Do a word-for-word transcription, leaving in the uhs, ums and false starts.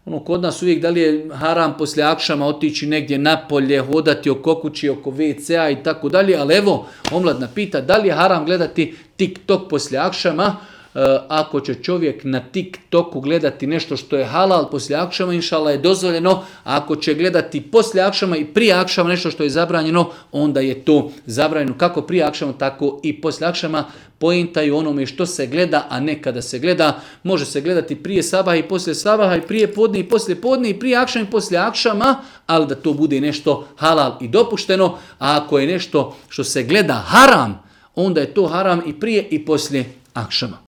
ono kod nas uvijek da li je haram poslije akšama otići negdje napolje, hodati oko kući, oko ve cea i tako dalje, ali evo, omladna pita da li je haram gledati TikTok poslije akšama. Ako će čovjek na TikToku gledati nešto što je halal poslije akšama, inšallah je dozvoljeno, a ako će gledati poslije akšama i prije akšama nešto što je zabranjeno, onda je to zabranjeno kako prije akšama, tako i poslije akšama. Pointa je u onome što se gleda, a ne kada se gleda. Može se gledati prije sabaha i poslije sabaha, i prije podne i poslije podne, i prije akšama i poslije akšama, ali da to bude nešto halal i dopušteno. A ako je nešto što se gleda haram, onda je to haram i prije i poslije akšama.